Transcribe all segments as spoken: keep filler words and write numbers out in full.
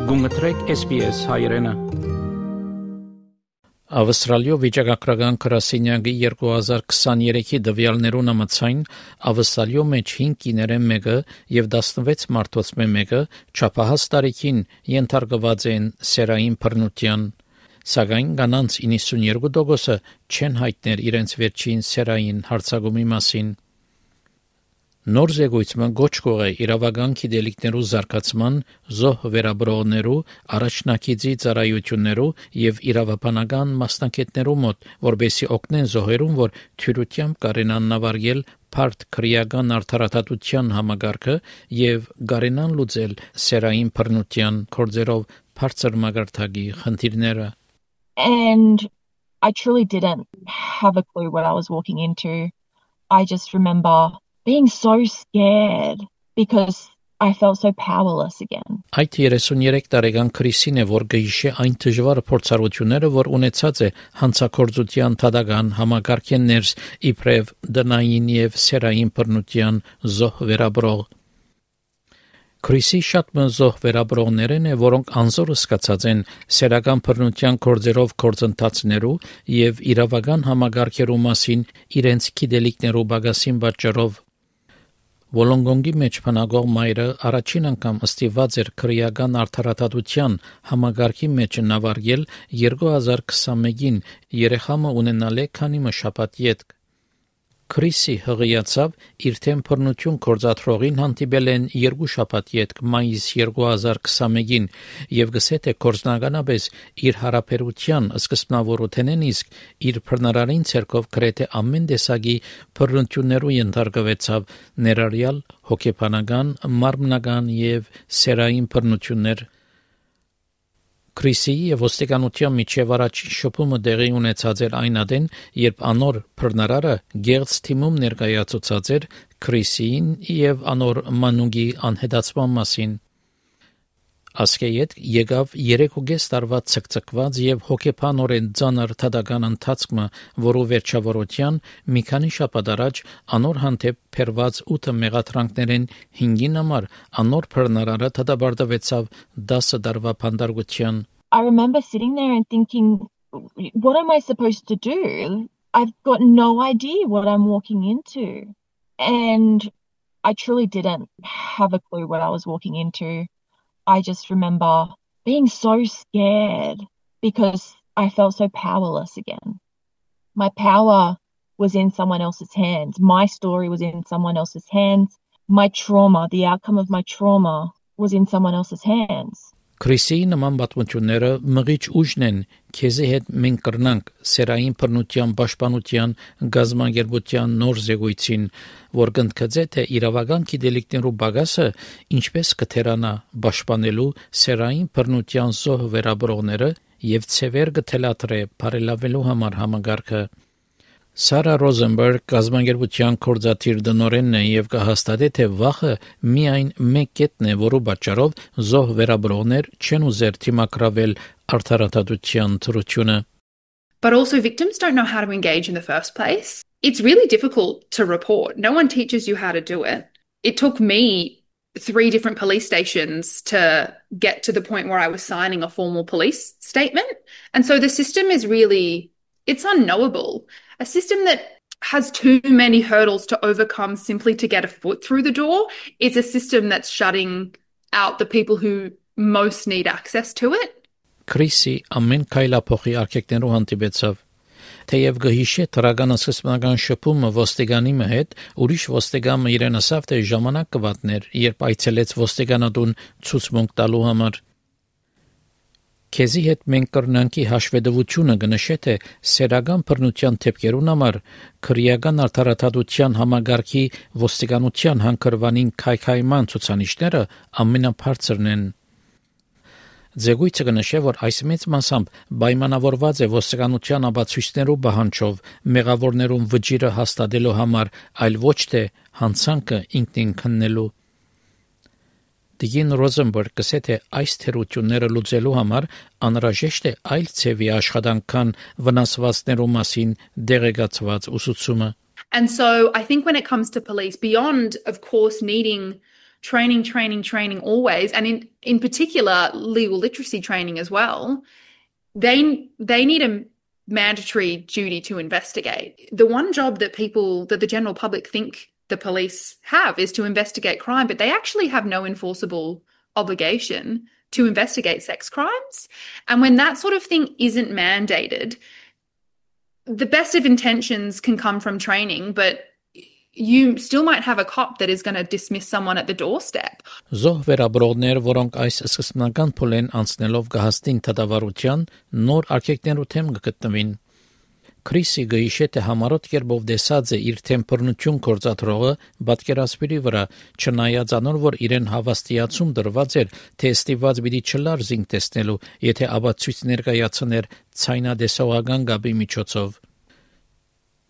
Գումտրեք S B S հայրենը։ Ավստրալիո վիճակագրական գրասենյակի երկու հազար քսաներեքի դվյալներուն համաձայն Ավստրալիո մեջ հինգ կիներեն մեկը եւ տասնվեց մարդոց մեկը չափահաս տարիքին ենթարկված են սերային բռնության, սակայն կանանց իննսունյոթ տոկոսը չեն հայտներ իրենց վերջին սերային հարձակումի մասին։ Նոր զեկույցը գոչ կողե իրավական գիտելիքներու զարգացման, զոհ վերաբրողներու, առաջնակիցի ծառայություններու եւ իրավաբանական մասնակիցներու մոտ, որբեսի օգնեն զոհերուն, որ թյուրությամբ կարենան նավարգել բարդ քրեական արդարադատության համագարկը եւ կարենան լուծել սերային բռնության գործերով բարձր մագարտակի խնդիրները։ And I truly didn't have a clue what I was walking into. I just remember being so scared because I felt so powerless again. Այդ երեսունյերեք տարեկան Քրիսին է, որ գիշե այն դժվար փորձառությունները, որ ունեցած է հանցագործության թադական համագարկեն ներս իբրև դնային եւ սերային բռնության զոհ վերաբրող։ Քրիսի շատ մզոհ վերաբրողներն է, որոնք անզոր սկացած են սերական բռնության գործերով գործընթացներու եւ իրավական համագարկերու մասին իրենց գիտելիքներու բագասին պատճառով։ Վոլոնգոնգի մեջ փնագող մայրը առաջին անգամ ըստիված էր քրեական արդարադատության համագարկի մեջ նավարգել երկու հազար քսանմեկին երեխամը ունենալ է քանի մշապատ ետք։ Քրիսի հղիացավ իր թեմ բռնություն գործադրողին հանդիպել են երկու շաբաթ ետք մայիս երկու հազար քսանմեկին եւ գսե թե կորզնականապես իր հարաբերության սկզբնավորութենեն իսկ իր բռնարարին ցերկով գրեթե ամեն տեսակի բռնություններու ենթարկվեցավ ներառյալ հոգեբանական, մարմնական եւ սերային բռնություններ։ Քրիսի եւ ոստիկանության միջև առաջին շփումը տեղի ունեցած էր այն ադեն, երբ անոր բռնարարը գեղձ թիմում ներկայացուցած էր Քրիսին եւ անոր մանուկի անհետացման մասին։ Ասկեյետ եկավ երեքուգես տարվա ցկցկված եւ հոգեբանորեն ծանր թադական ընթացքը, որու վերջավորության մի քանի շաբաթ առաջ անոր հանդեպ փերված ութ մեղադրանքներեն հինգին համար անոր բռնարարը թադաբարդվեցավ դասը տարվա փանդարգության։ I remember sitting there and thinking, what am I supposed to do? I've got no idea what I'm walking into. And I truly didn't have a clue what I was walking into. I just remember being so scared because I felt so powerless again. My power was in someone else's hands. My story was in someone else's hands. My trauma, the outcome of my trauma was in someone else's hands. Քրիսի նման պատմությունները մղիչ ուժն են քեզի հետ մենք կրնանք սերային բռնության պաշտպանության գազագերբության նոր զեկույցին, որ կընդգծե թե իրավական գիտելիքներու բագասը ինչպես կթերանա պաշտպանելու սերային բռնության զոհ վերաբրողները եւ ցևեր կթելադրե բարելավելու համար համագարկը։ Սարա Ռոզենբերգ գազագերբության կորզաթիր դնորենն է եւ կհաստատե թե վախը միայն մեկ կետն է, որու պատճառով զոհ վերաբրողներ չեն ուզեր թիմակրավել արդարադատության թրությունը։ But also victims don't know how to engage in the first place. It's really difficult to report. No one teaches you how to do it. It took me three different police stations to get to the point where I was signing a formal police statement. And so the system is really, it's unknowable. A system that has too many hurdles to overcome simply to get a foot through the door is a system that's shutting out the people who most need access to it. Քրիսի ամեն քայլափոխի արկեկներով հանդիպեցավ։ Թեև գհիշե տրագան սկզբնական շփումը ոստիգանի հետ, ուրիշ ոստիգանը իրեն ասավ, թե ժամանակ կվատներ, երբ այցելեց ոստիգանատուն ցուցմունք տալու համար։ Քեզի հետ մենք կրնանքի հաշվետվությունը կնշե թե սերական բռնության թեփքերուն համար քրեական արդարադատության համագարկի ոստիկանության հանգրվանին քայքայման ցուցանիշները ամենաբարձրն են։ Զեկույցը կնշե, որ այս մեծ մասամբ պայմանավորված է ոստիկանության ապացույցներու պահանջով մեղավորներուն վճիրը հաստատելու համար, այլ ոչ թե հանցանքը ինքնին քննելու։ Դիգին Ռոզենբերգ կսե թե այս թերությունները լուծելու համար անհրաժեշտ է այլ ցևի աշխատանքան վնասվածներու մասին դեղեկացված ուսուցումը։ And so I think when it comes to police, beyond, of course, needing training, training, training always, and in, in particular, legal literacy training as well, they, they need a mandatory duty to investigate. The one job that people, that the general public think the police have is to investigate crime, but they actually have no enforceable obligation to investigate sex crimes. And when that sort of thing isn't mandated, the best of intentions can come from training, but you still might have a cop that is going to dismiss someone at the doorstep. Զոհ վերաբրողներ, որոնք այս սկզբնական փուլեն անցնելով կհասնին դատավարության, նոր արգելքներու թեմ կգտնվին։ Քրիսի գիշե թե համառոտ կերպով դեսած է իր թեմպրնություն կորցածրողը պատկերասպիրի վրա, չնայած անոր, որ իրեն հավաստիացում դրված էր, թե ստիված պիտի չլար զինք տեսնելու, եթե ապացույց ներկայացներ ցայնադեսողական գաբի միջոցով։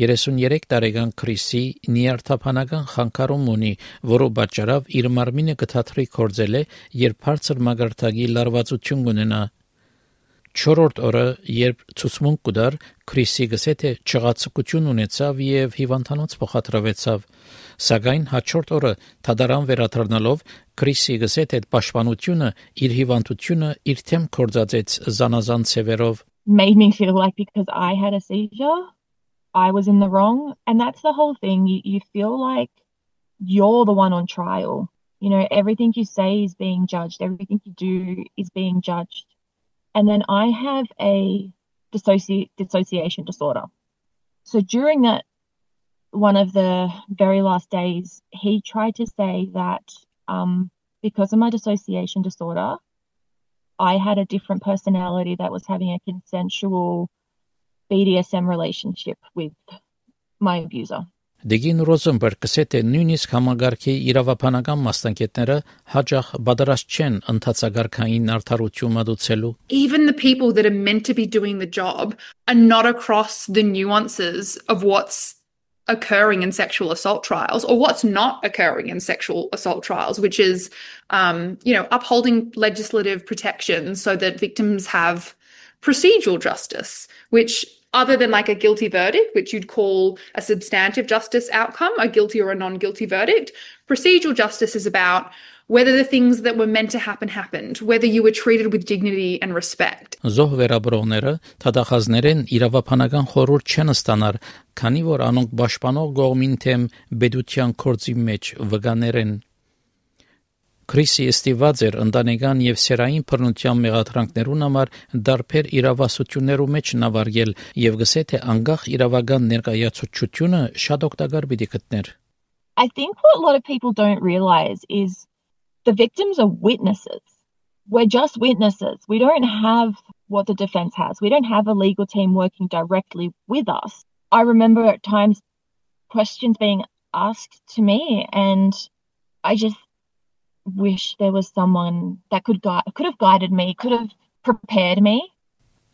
երեսունյերեք տարեկան Քրիսի նիարդապանական խանգարում ունի, որով պատճառով իր մարմինը կթաթրի կորձել է, երբ բարձր մագարտակի լարվածություն կունենա։ Չորրորդ օրը, երբ ցուցմունք կդար, Քրիսի գսե թե չղացկություն ունեցավ եւ հիվանդանոց փոխադրվեցավ։ Սակայն հաջորդ օրը թադարան վերադառնալով Քրիսի գսե թե պաշտպանությունը իր հիվանդությունը իր թեմ կորցածեց զանազան ցևերով։ Made me feel like because I had a seizure, I was in the wrong. And that's the whole thing. You, you feel like you're the one on trial. You know, everything you say is being judged. Everything you do is being judged. And then I have a dissoci- dissociation disorder. So during that, one of the very last days, he tried to say that um, because of my dissociation disorder, I had a different personality that was having a consensual B D S M relationship with my abuser. Դեգին Ռոզենբերգը ասել է նույնիսկ համագարքի իրավաբանական մասնագետները հաջող պատրաստ չեն ընդհանցագարքային արդարություն մատուցելու. Even the people that are meant to be doing the job are not across the nuances of what's occurring in sexual assault trials or what's not occurring in sexual assault trials, which is, um, you know, upholding legislative protections so that victims have procedural justice, which other than like a guilty verdict, which you'd call a substantive justice outcome, a guilty or a non-guilty verdict, procedural justice is about whether the things that were meant to happen happened, whether you were treated with dignity and respect. Զոհ վերաբրողները թադախազներեն իրավաբանական խորհուրդ չեն ստանար, քանի որ անոնք պաշտպանող կողմին թեմ բեդության կորձի մեջ վկաներ են։ Քրիսի ստիված էր ընտանեկան եւ սերային բռնության մեղադրանքներուն համար դարբեր իրավասություններու մեջ նավարգել եւ գսե թե անգախ իրավական ներկայացուցչությունը շատ օգտակար պիտի գտներ. I think what a lot of people don't realize is the victims are witnesses. We're just witnesses. We don't have what the defense has. We don't have a legal team working directly with us. I remember at times questions being asked to me and I just wish there was someone that could guide, could have guided me, could have prepared me.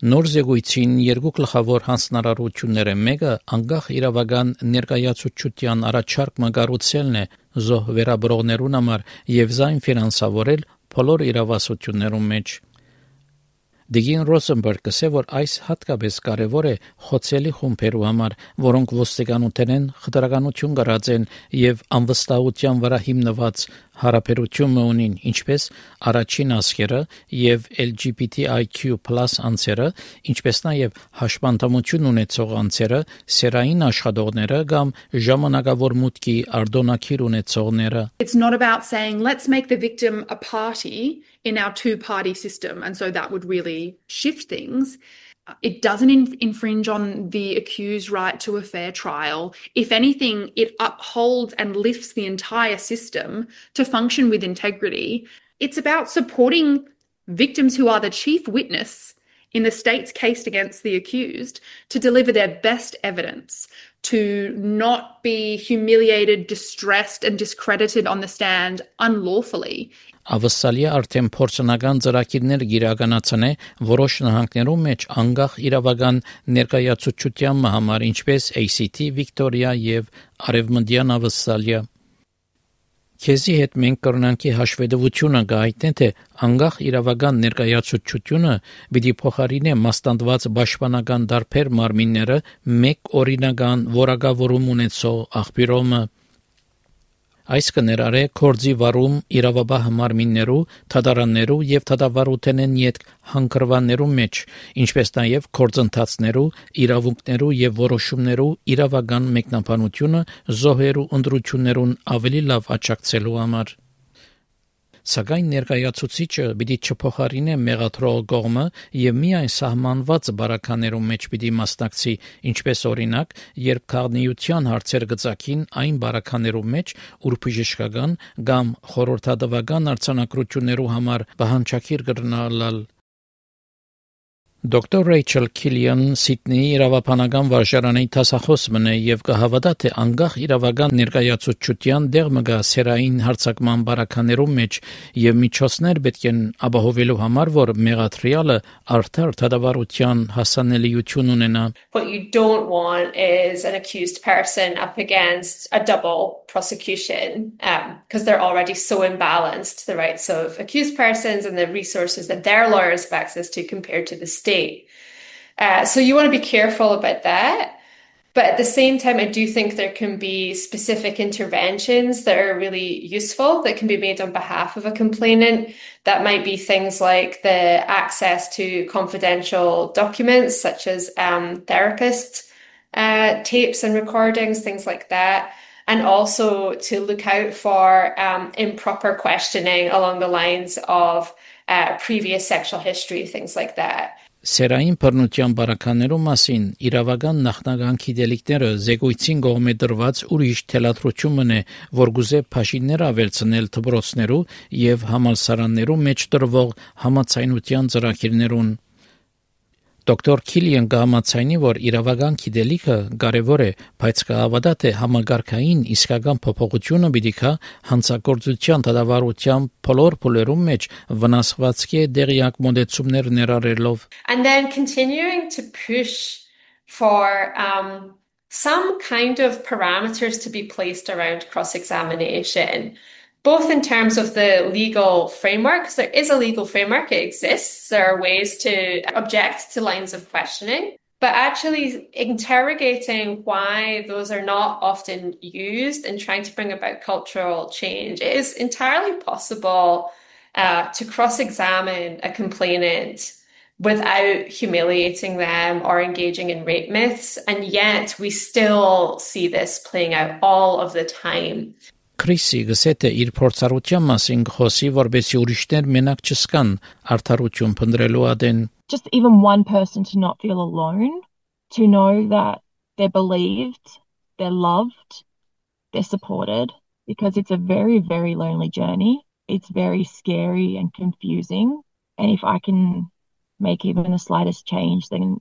Նոր զեկույցին երկու գլխավոր հանձնարարությունները մեկը անգախ իրավական ներկայացուցչության առաջարկ մագարուցելն է զոհ վերաբրողներուն համար եւ զայն ֆինանսավորել բոլոր իրավասություններուն մեջ։ Դեգին Ռոզենբերգը ասել որ այս հատկապես կարևոր է խոցելի խումբերու համար, որոնք ոստիկանութեն խտրականություն կրած են եւ անվստահության վրա հիմնված հարաբերություն ունին, ինչպես առաջին ասկերը եւ L G B T I Q plus անձերը, ինչպես նաեւ հաշմանդամություն ունեցող անձերը, սերային աշխատողները կամ ժամանակավոր մուտքի արտոնակիր ունեցողները. It's not about saying let's make the victim a party in our two-party system and so that would really shift things. It doesn't in- infringe on the accused's right to a fair trial. If anything, it upholds and lifts the entire system to function with integrity. It's about supporting victims who are the chief witness in the state's case against the accused to deliver their best evidence, to not be humiliated, distressed, and discredited on the stand unlawfully. Ավսալիա արդեն փորձնական ծրագիրներ գիրականացնե որոշ նահանգներում մեջ անգախ իրավական ներկայացուցչության համար ինչպես A C T, Վիկտորիա եւ Արևմտյան Ավսալիա։ Քեզի հետ մենք կրնանքի հաշվետվությունը գայտնե թե անգախ իրավական ներկայացուցչությունը պիտի փոխարինե մասնատված պաշտպանական դարբեր մարմինները մեկ օրինական որակավորում ունեցող աղբյուրոմը։ Այս կներառե կորձի վարում իրավաբահ մարմիններու, թադարաններու եւ թադավարութենեն յետ հանգրվաններու մեջ, ինչպես նաեւ կորձընթացներու, իրավունքներու եւ որոշումներու իրավական մեկնաբանությունը զոհերու ընդրություններուն ավելի լավ աջակցելու համար։ Սակայն ներկայացուցիչը պիտի չփոխարինե մեղադրող կողմը եւ միայն սահմանված բարականերու մեջ պիտի մասնակցի, ինչպես օրինակ, երբ քաղաքնիության հարցեր գծակին այն բարականերու մեջ, ուր բժշկական կամ խորհրդատվական արձանագրություններու համար բանջակիր կրնալալ։ Դոկտոր Ռեյչել Քիլիան Սիդնեի իրավաբանական վարժարանի դասախոս մնե եւ կհավատա թե անկախ իրավական ներկայացուցչության դեղ մգա սերային հարցակման բարականերու մեջ եւ միջոցներ պետք են ապահովելու համար, որ մեղադրյալը արդար դատավարության հասանելիություն ունենա։ What you don't want is an accused person up against a double prosecution because um, they're already so imbalanced, the rights of accused persons and the resources that their lawyers have access to compared to the state. Uh, so you want to be careful about that. But at the same time, I do think there can be specific interventions that are really useful that can be made on behalf of a complainant. That might be things like the access to confidential documents, such as um, therapist uh, tapes and recordings, things like that. And also to look out for um, improper questioning along the lines of uh, previous sexual history, things like that. Սերային բռնության բարականերու մասին իրավական նախնական գիտելիքները զեկույցին կողմէ դրված ուրիշ թելադրություն է, որ գուզե փաշիններ ավելցնել դպրոցներու եւ համալսարաններու մեջ տրվող համացայնության ծրագիրներուն։ Դոկտոր Քիլիան կհամաձայնի, որ իրավական գիտելիքը կարևոր է, բայց կհավատա թե համագարկային իսկական փոփոխությունը պիտի գա հանցագործության դատավարության բոլոր փուլերում մեջ վնասվածքի դեղյակ մոդեցումներ ներառելով։ And then continuing to push for um, some kind of parameters to be placed around cross-examination. Both in terms of the legal framework, because there is a legal framework, it exists. There are ways to object to lines of questioning, but actually interrogating why those are not often used and trying to bring about cultural change. It is entirely possible uh, to cross-examine a complainant without humiliating them or engaging in rape myths, and yet we still see this playing out all of the time. Քրիսի գսեթե իր փորձառության մասին խոսի, որբեսի ուրիշներ մենակ չսկան արդարություն փնտրելու ադեն. Just even one person to not feel alone, to know that they're believed, they're loved, they're supported, because it's a very, very lonely journey. It's very scary and confusing. And if I can make even the slightest change, then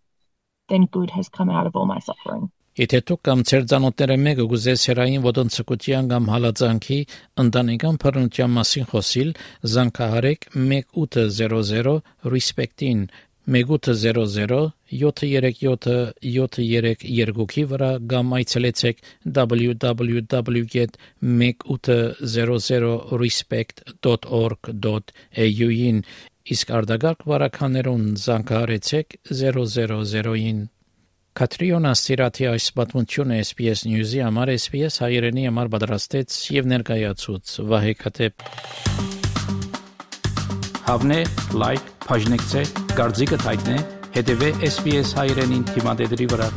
then good has come out of all my suffering. Եթե դուք կամ ձեր ծանոթները մեկը գուզե սերային ոտնցկության կամ հալածանքի ընտանեկան բռնության մասին խոսիլ, զանգահարեք one eight hundred respect-ին one eight hundred seven three seven seven three two-ի վրա կամ այցելեցեք w w w dot one eight hundred respect dot org dot a u-ին իսկ արդագարգ վարականերուն զանգահարեցեք zero zero zero-ին Կատրիոնա Սիրաթի այս պատմությունը S B S News-ի համար S B S հայերենի համար պատրաստեց եւ ներկայացուց Վահե Կատեփ Հավնե, լայք, բաժնեկցե, դարձիկը թայտնե, հետեւե S B S հայերենին թիմադեդի վրա